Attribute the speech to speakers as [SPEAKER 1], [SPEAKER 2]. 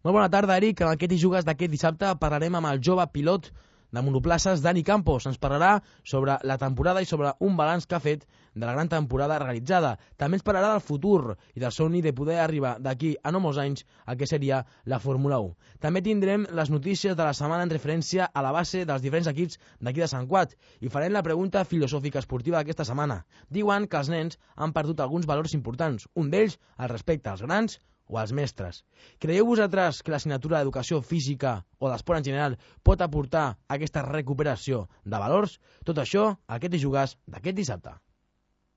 [SPEAKER 1] Molt bona tarda, Eric. En aquest i jugues d'aquest dissabte parlarem amb el jove pilot de monoplaces, Dani Campos. Ens parlarà sobre la temporada i sobre un balanç que ha fet de la gran temporada realitzada. També ens parlarà del futur i del somni de poder arribar d'aquí a no molts anys al que seria la Fórmula 1. També tindrem les notícies de la setmana en referència a la base dels diferents equips d'aquí de Sant Cuat i farem la pregunta filosòfica esportiva d'aquesta setmana. Diuen que els nens han perdut alguns valors importants, un d'ells el respecte als grans o als mestres. Creieu vosaltres que l'assignatura d'educació física o d'esport en general pot aportar aquesta recuperació de valors? Tot això, aquest i jugues d'aquest dissabte.